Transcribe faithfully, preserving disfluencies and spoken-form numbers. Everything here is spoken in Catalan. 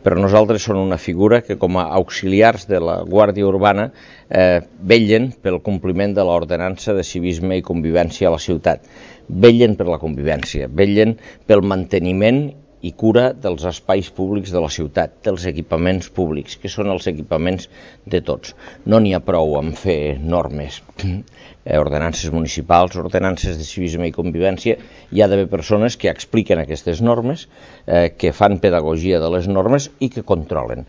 per nosaltres són una figura que com a auxiliars de la Guàrdia Urbana eh, vetllen pel compliment de l'ordenança de civisme i convivència a la ciutat, vetllen per la convivència, vetllen pel manteniment i cura dels espais públics de la ciutat, dels equipaments públics, que són els equipaments de tots. No n'hi ha prou amb fer normes, ordenances municipals, ordenances de civisme i convivència, hi ha d'haver persones que expliquen aquestes normes, eh, que fan pedagogia de les normes i que controlen.